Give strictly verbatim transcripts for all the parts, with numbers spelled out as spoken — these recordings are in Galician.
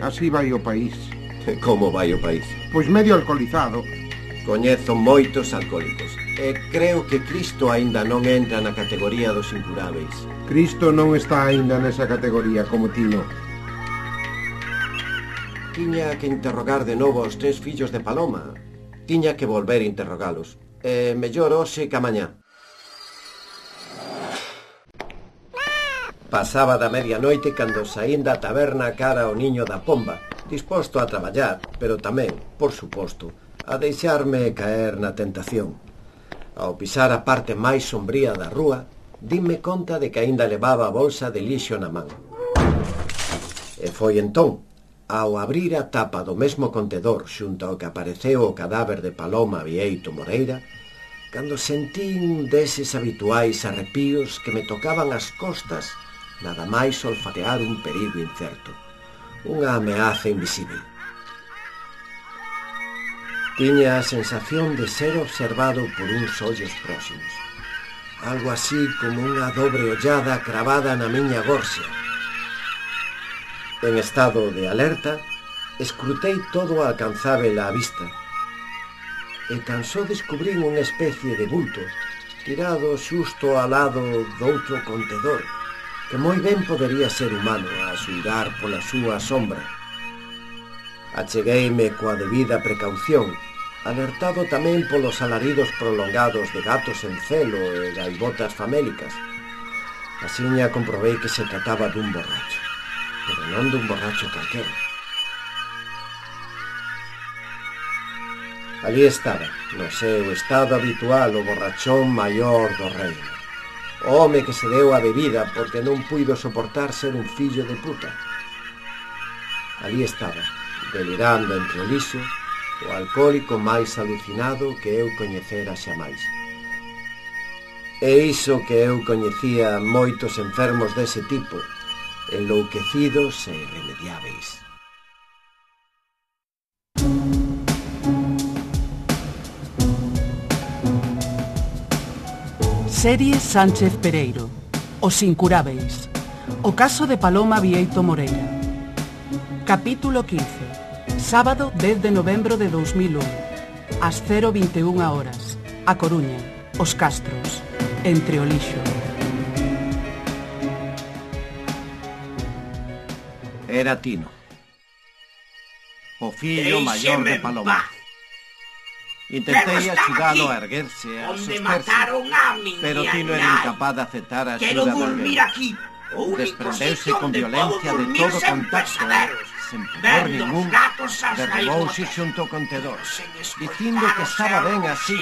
Así vai o país. Como vai o país? Pois medio alcoholizado. Coñezo moitos alcohólicos e creo que Cristo aínda non entra na categoría dos incuráveis. Cristo non está aínda nesa categoría como ti non. Tiña que interrogar de novo aos tres fillos de Paloma. Tiña que volver a interrogalos. E mellor hoxe que amañá. Pasaba da medianoite cando saín da taberna cara ao niño da pomba, disposto a traballar, pero tamén, por suposto, a deixarme caer na tentación. Ao pisar a parte máis sombría da rúa, dime conta de que aínda levaba a bolsa de lixo na man. E foi entón, ao abrir a tapa do mesmo contedor xunto ao que apareceu o cadáver de Paloma Bieito Moreira, cando sentín deses habituais arrepíos que me tocaban as costas, nada máis olfatear un perigo incerto, unha ameaza invisible. Tiña a sensación de ser observado por uns ollos próximos, algo así como unha dobre ollada cravada na miña gorxa. En estado de alerta, escrutei todo o alcanzável á vista, e tan só descubrín unha especie de bulto, tirado xusto ao lado doutro contedor, que moi ben podería ser humano a xulgar pola súa sombra. Achegueime coa debida precaución, alertado tamén polos alaridos prolongados de gatos en celo e gaivotas famélicas. Asiña comprobei que se trataba dun borracho, pero non dun borracho calquera. Allí estaba, no seu estado habitual, o borrachón maior do reino. O home que se deu a bebida porque non puido soportar ser un fillo de puta. Allí estaba, delirando entre o lixo, o alcohólico máis alucinado que eu coñecera xamais. E iso que eu coñecía moitos enfermos dese tipo, enlouquecidos e irremediáveis. Serie Sánchez Pereiro, Os Incurábeis, o caso de Paloma Bieito Moreira. Capítulo quince, sábado dez de novembro de dos mil un, ás cero vinte e unha horas, A Coruña, Os Castros, entre o lixo. Era Tino, o fillo maior de Paloma. Intentei axudalo a erguerse, a sosterse, pero Tino era incapaz de aceptar a axuda de alguén. Desprendeuse con violencia de todo contacto e, sen pudor ningún, derrubouse xunto ao contedor, dicindo que estaba ben así,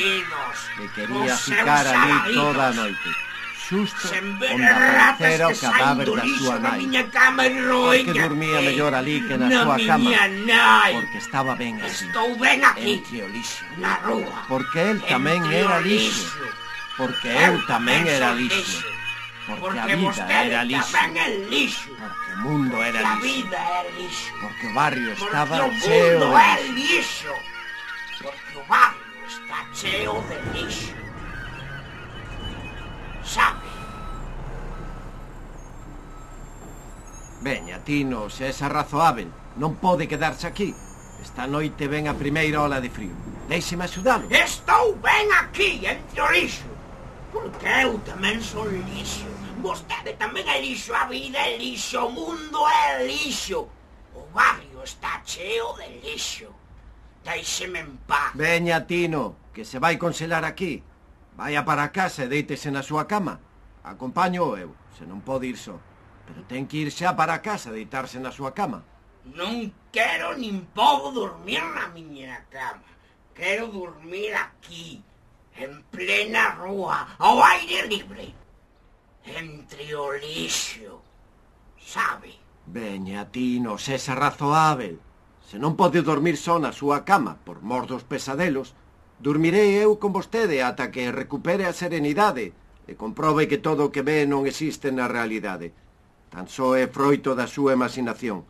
que quería ficar ali toda a noite, xusto onde aparecera o cadáver da súa nai, porque dormía mellor ali que na súa cama, porque estaba ben así, entre o lixo, porque el tamén era lixo, porque eu tamén era lixo, porque a vida era lixo, porque o mundo era lixo, porque o barrio estaba cheo de lixo, porque o barrio está cheo de lixo. Sabe? Veña, Tino, se é razoável, non pode quedarse aquí. Esta noite ven a primeira ola de frío. Déixeme axudalo. Estou ben aquí, entre o lixo, porque eu tamén son lixo. Vostede tamén é lixo, a vida é lixo, o mundo é lixo. O barrio está cheo de lixo. Déixeme en paz. Veña, Tino, que se vai congelar aquí. Vaia para a casa e deítese na súa cama. Acompáñoo eu, se non pode ir só. Pero ten que ir xa para a casa, deitarse na súa cama. Non quero nin podo dormir na miña cama. Quero dormir aquí, en plena rúa, ao aire libre, entre o lixo, sabe? Veña, Tino, sexa razoável. Se non pode dormir só na súa cama, por mor dos pesadelos, dormirei eu con vostede ata que recupere a serenidade e comprobe que todo o que ve non existe na realidade. Tan só é froito da súa imaginación.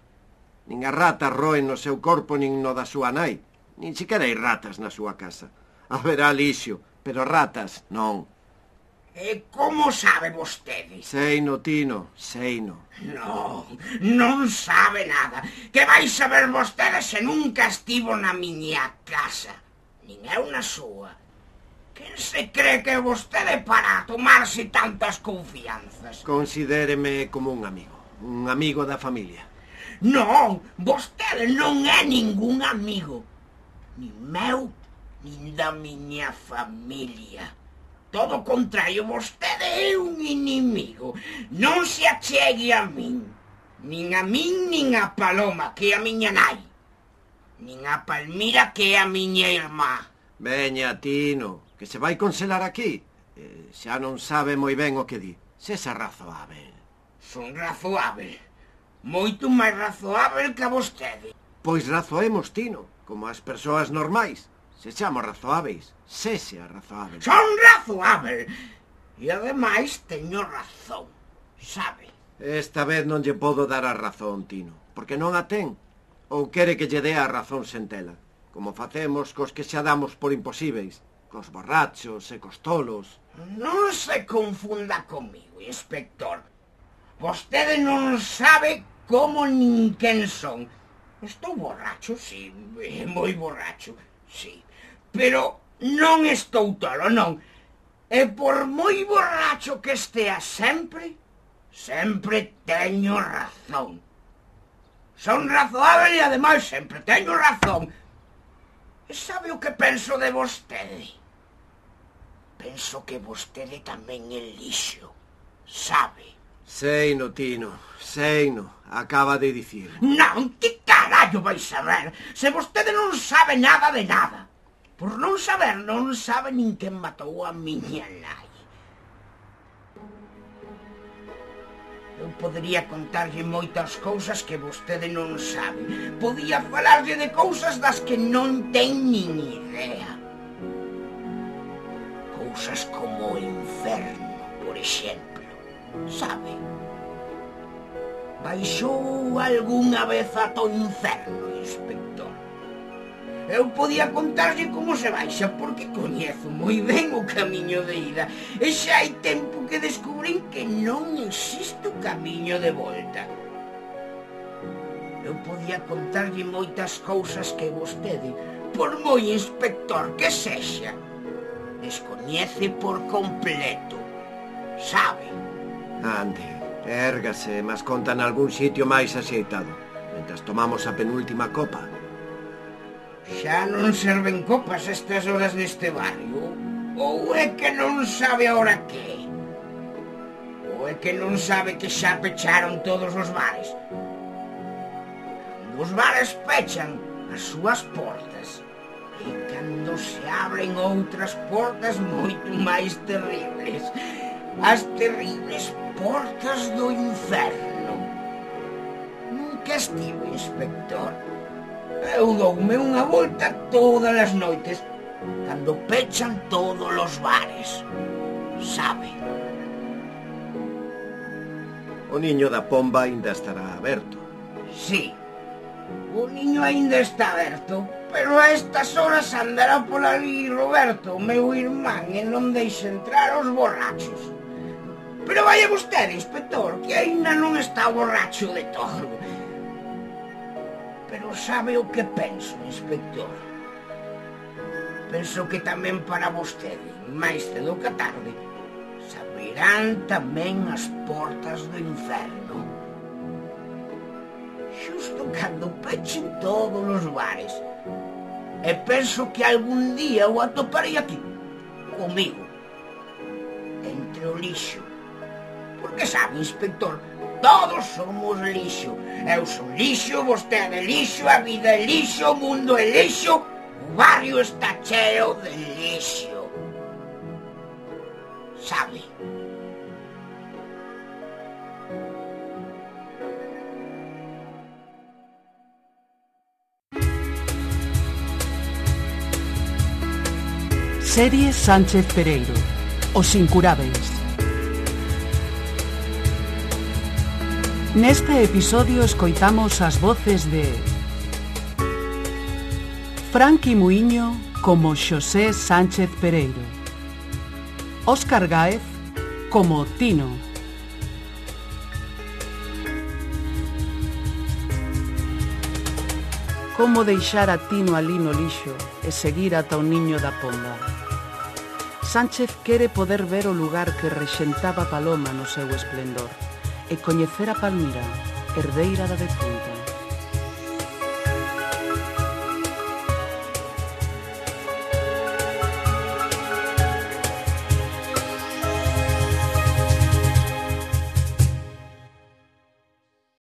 Nin as ratas roen no seu corpo nin no da súa nai. Nin siquera hai ratas na súa casa. Haberá lixo, pero ratas non. E como sabe vostede? Seino, Tino, seino. Non, non sabe nada. Que vai saber vostede se nunca estivo na miña casa? Nin eu na súa. Quen se cree que vostede para tomarse tantas confianzas? Considéreme como un amigo, un amigo da familia. Non, vostede non é ningún amigo. Nin meu, nin da miña familia. Todo o contrario, vostede é un inimigo. Non se achegue a min. Nin a min, nin a Paloma, que é a miña nai. Nin a Palmira, que é a miña irmá. Veña, Tino, que se vai conselar aquí. Eh, xa non sabe moi ben o que di. Sesa razoável. Son razoável. Moito máis razoável que a vostede. Pois razoemos, Tino, como as persoas normais. Se chamo razoáveis, sese a razoável. Son razoável. E ademais teño razón, sabe? Esta vez non lle podo dar a razón, Tino, porque non a ten. Ou quere que lle dé a razón sen tela, como facemos cos que xa damos por imposíveis, cos borrachos e cos tolos. Non se confunda comigo, inspector. Vostede non sabe como nin quen son. Estou borracho, sí, moi borracho, sí. Pero non estou tolo, non. E por moi borracho que estea sempre, sempre teño razón. Son razoável e ademais sempre teño razón. E sabe o que penso de vostede? Penso que vostede tamén é lixo, sabe? Seino, Tino, seino, acaba de dicir. Non, que carallo vai saber? Se vostede non sabe nada de nada. Por non saber, non sabe nin quen matou a miña nai. Eu podería contarlle moitas cousas que vostede non sabe. Podía falarlle de cousas das que non ten nin idea. Cousas como o inferno, por exemplo, sabe? Baixou algunha vez ata o inferno, inspector? Eu podía contarlle como se baixa, porque coñezo moi ben o camiño de ida. E xa hai tempo que descubrín que non existe o camiño de volta. Eu podía contarlle moitas cousas que vostede, por moi inspector que sexa, descoñece por completo, sabe? Ande, érgase, mas conta nalgún sitio máis axeitado, mentras tomamos a penúltima copa. Xa non serven copas estas horas neste barrio? Ou é que non sabe ahora que? Ou é que non sabe que xa pecharon todos os bares? Cando os bares pechan as súas portas, e cando se abren outras portas moito máis terribles, as terribles portas do inferno. Nunca estive, inspector. Eu doume unha volta todas as noites, cando pechan todos os bares, sabe? O niño da pomba ainda estará aberto. Sí, o niño ainda está aberto, pero a estas horas andará por ali Roberto, o meu irmán, e non deixa entrar os borrachos. Pero vaya vostede, inspector, que ainda non está borracho de todo. Pero sabe o que penso, inspector? Penso que tamén para vostede, máis cedo que tarde, se abrirán tamén as portas do inferno. Xusto cando pechen todos os bares. E penso que algún día o atoparei aquí, comigo, entre o lixo. Porque sabe, inspector, todos somos lixo. Eu son lixo, vostede é lixo, a vida é lixo, o mundo é lixo, o barrio está cheo de lixo. Sabe? Serie Sánchez Pereiro, Os Incurábeis. Neste episodio escoitamos as voces de Franqui Muiño como Xosé Sánchez Pereiro, Óscar Gáez como Tino. Como deixar a Tino ali no lixo e seguir ata o niño da ponda. Sánchez quere poder ver o lugar que rexentaba Paloma no seu esplendor e coñecer a Palmira, herdeira da defunta.